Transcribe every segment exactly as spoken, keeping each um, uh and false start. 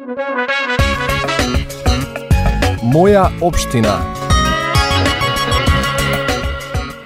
Моја општина.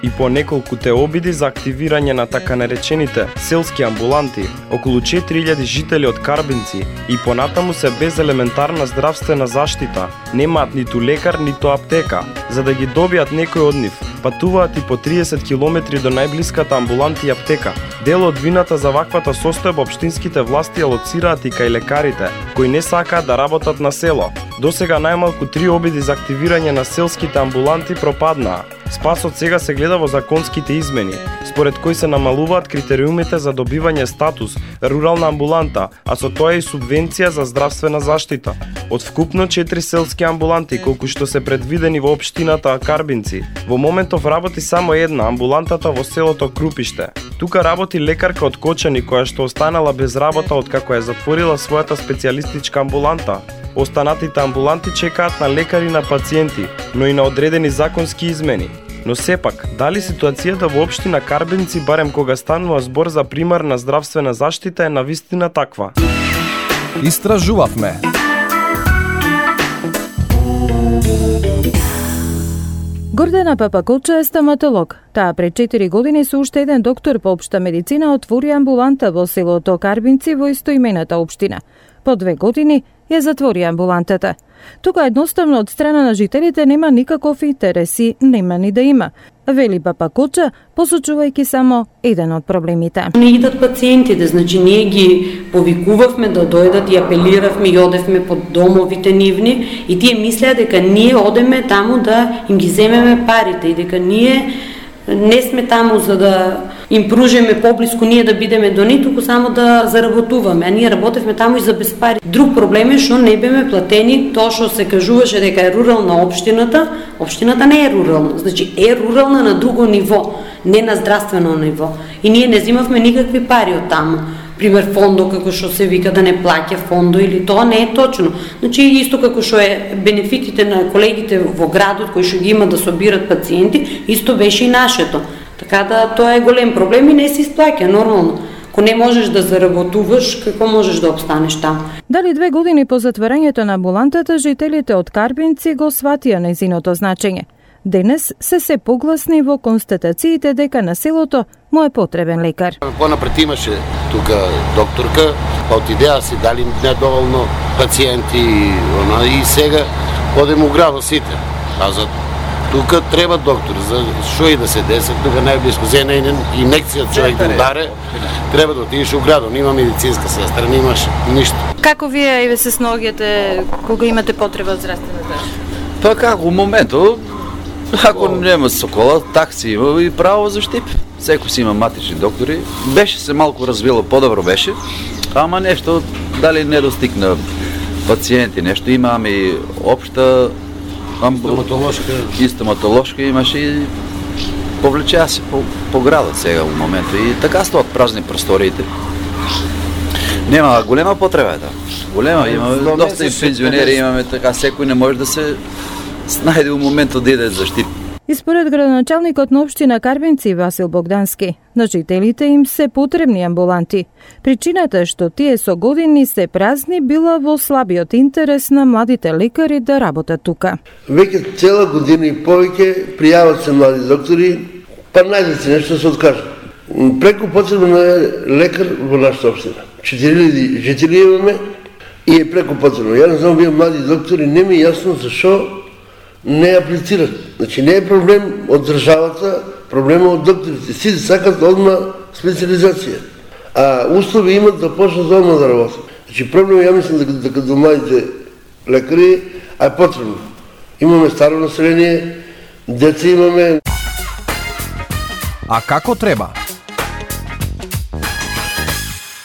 И по неколку те обиди за активирање на така наречените селски амбуланти, околу четири илјади жители од Карбинци и понатаму се без елементарна здравствена заштита, немаат ниту лекар, ниту аптека. За да ги добијат некој од нив, патуваат и по триесет километри до најблиската амбуланта и аптека. Дел од вината за ваквата состојба општинските власти алоцираат и кај лекарите, кои не сакаат да работат на село. Досега најмалку три обиди за активирање на селските амбуланти пропаднаа. Спасот сега се гледа во законските измени, според кои се намалуваат критериумите за добивање статус рурална амбуланта, а со тоа и субвенција за здравствена заштита. Од вкупно четири селски амбуланти, колку што се предвидени во општината Карбинци, во моментов работи само една, амбулантата во селото Крупиште. Тука работи лекарка од Кочани која што останала без работа откако ја затворила својата специјалистичка амбуланта. Останатите амбуланти чекаат на лекари на пациенти, но и на одредени законски измени. Но сепак, дали ситуацијата во општина Карбинци, барем кога станува збор за примарна здравствена заштита, е навистина таква? Истражувавме. Гордана Папаколча е стоматолог. Таа пред четири години со уште еден доктор по општа медицина отвори амбуланта во селото Карбинци во истоимената општина. По две години ја затвори амбулантата. Тука едноставно од страна на жителите нема никаков интерес и нема ни да има. Вели Папаколча, посочувајќи само еден од проблемите. Не идат пациентите, значи ние ги повикувавме да дојдат и апелиравме и одевме под домовите нивни и тие мислеа дека ние одеме таму да им ги земеме парите и дека ние не сме таму за да им пружиме поблиску ние да бидеме до нив, туку само да заработуваме. А ние работевме таму и за без пари. Друг проблем е што не беме платени тоа што се кажуваше дека е рурална општината. Општината не е рурална, значи е рурална на друго ниво, не на здравствено ниво. И ние не земавме никакви пари од таму. Пример фондо, како што се вика да не плаќа фондо, или тоа не е точно. Значи исто како што е бенефитите на колегите во градот кои што ги има да собират пациенти, исто беше и нашето. Така да тоа е голем проблем и не се исплаќа нормално. Ако не можеш да заработуваш, како можеш да обстанеш таму? Дали две години по затворањето на амбулантата, жителите од Карбинци го сватија нејзиното значење. Денес се се погласни во констатациите дека на селото му е потребен лекар. Понапред имаше тука докторка, па отидеа си дали недоволно пациенти и сега одем у градот сите. А за тука треба доктор, за што и да се деси, тука најблиско за една инекција човек да ударе, треба да отидеш у градот, нема медицинска сестра, немаш ништо. Како вие и се сногите кога имате потреба од здравствена заштита? Па како у моментот, ако нема Сокола, такси има и право за штип. Секој си има матични доктори. Беше се малку развило, подобро беше, ама нешто дали не достигна пациенти, нешто имаме и општа стоматолошка и стоматолошка имаше и повлечеа се по, по градот сега во моментот и така стоат празни просториите. Нема голема потреба да. Голема има доста и пензионери имаме, така секој не може да се снајде во моментот да иде за штип. И според градоначалникот на општина Карбинци Васил Богдански, на жителите им се потребни амбуланти. Причината што тие со години се празни била во слабиот интерес на младите лекари да работат тука. Веќе цела година и повеќе пријават се млади доктори, па најде се нешто се откажат. Преку потребно е лекар во нашата општина. четири илјади жители имаме и е преку потребно. Ја не знам вие млади доктори, не ми е јасно зашо не аплицират. Значи не е проблем од државата, проблема од докторите. Сите сакат одма специализација. А услови имат да почнат одма да работат. Значи проблем ја мислам дека, дека до младите лекари а е потребно. Имаме старо население, деца имаме. А како треба?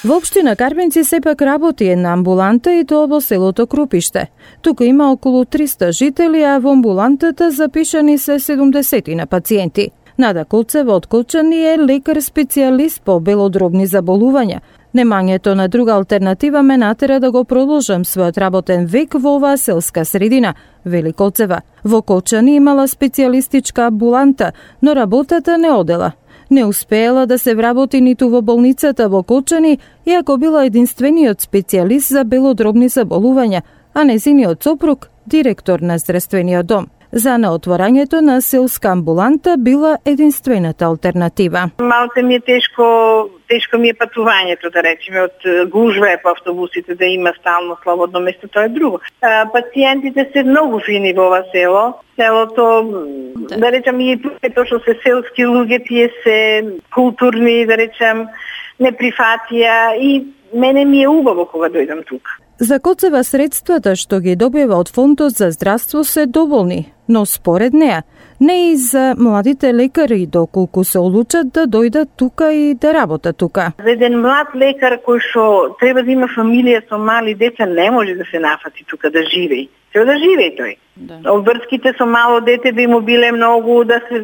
Во општина Карбинци сепак работи една амбуланта и тоа во селото Крупиште. Тука има околу триста жители, а во амбулантата запишани се седумдесет на пациенти. Нада Колцева од Колчани е лекар-специјалист по белодробни заболувања. Немањето на друга алтернатива ме натера да го продолжам својот работен век во оваа селска средина, вели Колцева. Во Колчани имала специјалистичка амбуланта, но работата не одела. Не успеела да се вработи ниту во болницата во Кочани, иако била единствениот специјалист за белодробни заболувања, а незиниот сопруг директор на здравствениот дом. За неотворањето на селска амбуланта била единствената алтернатива. Малце ми е тешко, тешко ми е патувањето, да речеме, од гужва е по автобусите, да има стално слободно место, тоа е друго. А, пациентите се многу фини во ова село. Селото, да, да речем, и тоа што се селски луѓе, тие се културни, да речем, не прифатија и мене ми е убаво кога дојдам тука. За Коцева средствата што ги добива од Фондот за здравство се доволни, но според неа, не и за младите лекари доколку се одлучат да дојдат тука и да работат тука. За еден млад лекар кој што треба да има фамилија со мали деца не може да се нафати тука да живее. Треба да живее тој. Да. Обврските со мало дете би му биле многу да се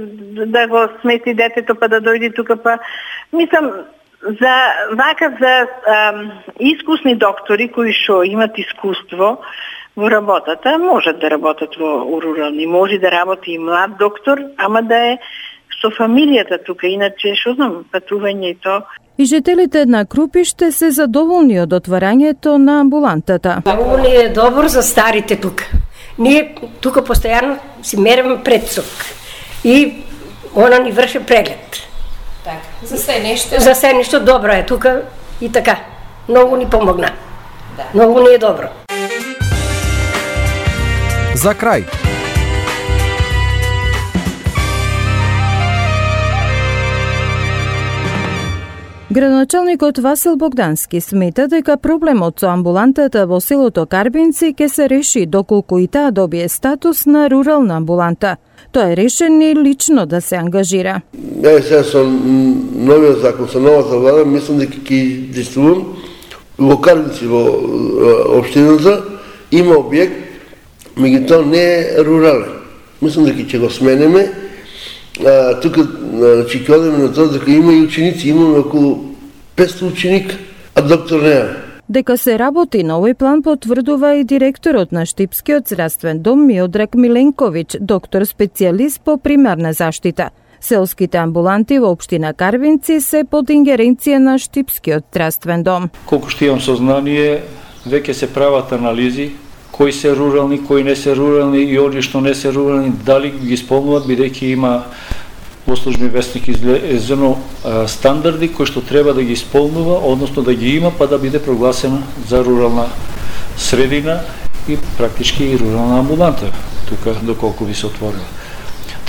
да го смести детето па да дојде тука, па мислам за вака за ам, искусни доктори кои што имат искуство во работата, можат да работат во рурални, може да работи и млад доктор, ама да е со фамилијата тука, иначе што знам, патување и то. И жителите на Крупиште се задоволни од отварањето на амбулантата. Многу ни е добро за старите тука. Ние тука постојано си мериме предсок и она ни врши преглед. Так, за се нешто. За се нешто добро е тука и така. Многу ни помогна. Да. Многу ни е добро. За крај. Градоначалникот Васил Богдански смета дека проблемот со амбулантата во селото Карбинци ќе се реши доколку и таа добие статус на рурална амбуланта. Тоа е решено лично да се ангажира. Ја сега со новиот закон, со новата влада, мислам дека ќе действувам. Во Карбинци, во општината, има објект, меѓутоа не е рурален. Мислам дека ќе го сменеме. А, тука значи ќе одиме на тоа дека има и ученици, имаме околу петстотини ученика, а доктор не е. Дека се работи на овој план потврдува и директорот на Штипскиот здравствен дом Миодраг Миленковиќ, доктор специјалист по примарна заштита. Селските амбуланти во општина Карвинци се под ингеренција на Штипскиот здравствен дом. Колку што имам сознание, веќе се прават анализи кои се рурални, кои не се рурални и оние што не се рурални, дали ги исполнуваат, бидејќи има во службен вестник излезено стандарди кои што треба да ги исполнува, односно да ги има, па да биде прогласена за рурална средина и практички и рурална амбуланта, тука доколку би се отворила.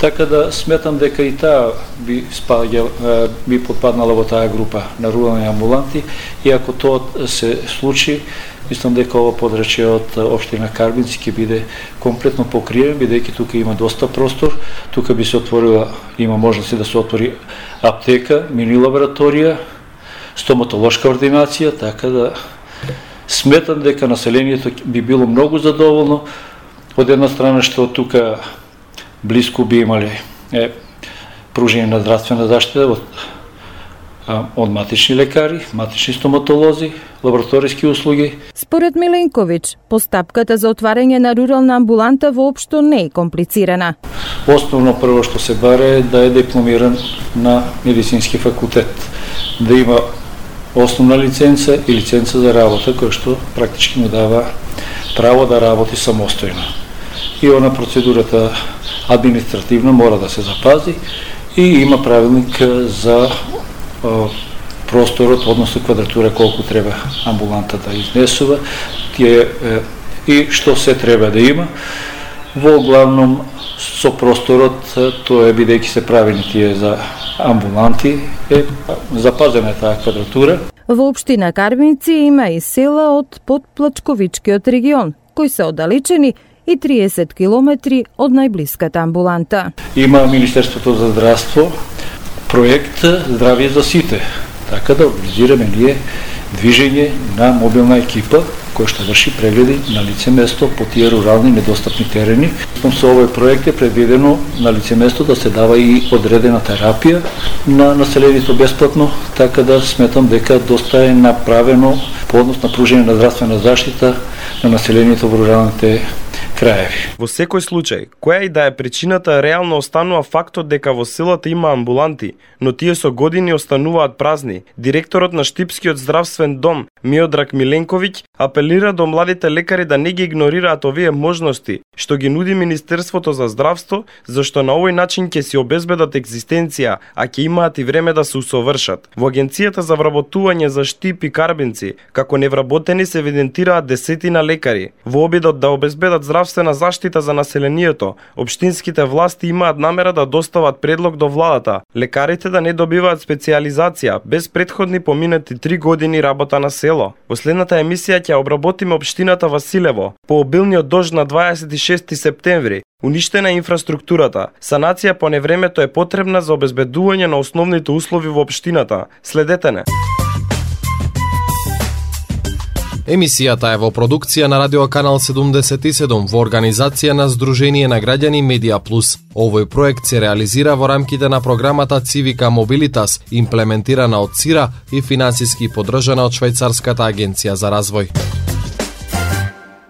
Така да сметам дека и таа би, спаѓа, би подпаднала во таа група на рурални амбуланти, и ако тоа се случи, мислам дека ова подрачје од општина Карбинци ќе биде комплетно покриен, бидејќи тука има доста простор, тука би се отворила, има можност да се отвори аптека, мини лабораторија, стоматолошка ординација, така да сметам дека населението би било многу задоволно. Од една страна што тука блиску би имале е, пружење на здравствена заштита од од матични лекари, матични стоматолози, лабораториски услуги. Според Миленковиќ, постапката за отварање на рурална амбуланта воопшто не е комплицирана. Основно прво што се баре е да е дипломиран на медицински факултет, да има основна лиценца и лиценца за работа, која што практички му дава право да работи самостојно. И она процедурата административна мора да се запази и има правилник за просторот, односно квадратура колку треба амбуланта да изнесува, тие и што се треба да има. Во главном со просторот, тоа е бидејќи се правени тие за амбуланти, е запазена е таа квадратура. Во општина Карбинци има и села од подплачковичкиот регион, кои се оддалечени и триесет километри од најблиската амбуланта. Има Министерството за здравство проект Здравје за сите, така да организираме ние движење на мобилна екипа која што врши прегледи на лице место по тие рурални недостапни терени. Со овој проект е предвидено на лице место да се дава и одредена терапија на населението бесплатно, така да сметам дека доста е направено по однос на пружење на здравствена заштита на населението во руралните краеви. Во секој случај, која и да е причината, реално останува фактот дека во селата има амбуланти, но тие со години остануваат празни. Директорот на Штипскиот здравствен дом, Миодраг Миленковиќ, апелира до младите лекари да не ги игнорираат овие можности, што ги нуди Министерството за здравство, зашто на овој начин ќе си обезбедат екзистенција, а ќе имаат и време да се усовршат. Во Агенцијата за вработување за Штип и Карбинци, како невработени се евидентираат десетина лекари. Во обидот да обезбедат здравствена заштита за населението, општинските власти имаат намера да достават предлог до владата, лекарите да не добиваат специјализација без претходни поминати три години работа на село. Во следната емисија ќе обработиме општината Василево. По обилниот дожд на дваесет и шести септември, уништена е инфраструктурата. Санација по невремето е потребна за обезбедување на основните услови во општината. Следете не. Емисијата е во продукција на Радио Канал седумдесет и седум во организација на Сдружение на граѓани Медија Плюс. Овој проект се реализира во рамките на програмата Цивика Мобилитас, имплементирана од ЦИРА и финансиски поддржана од Швајцарската агенција за развој.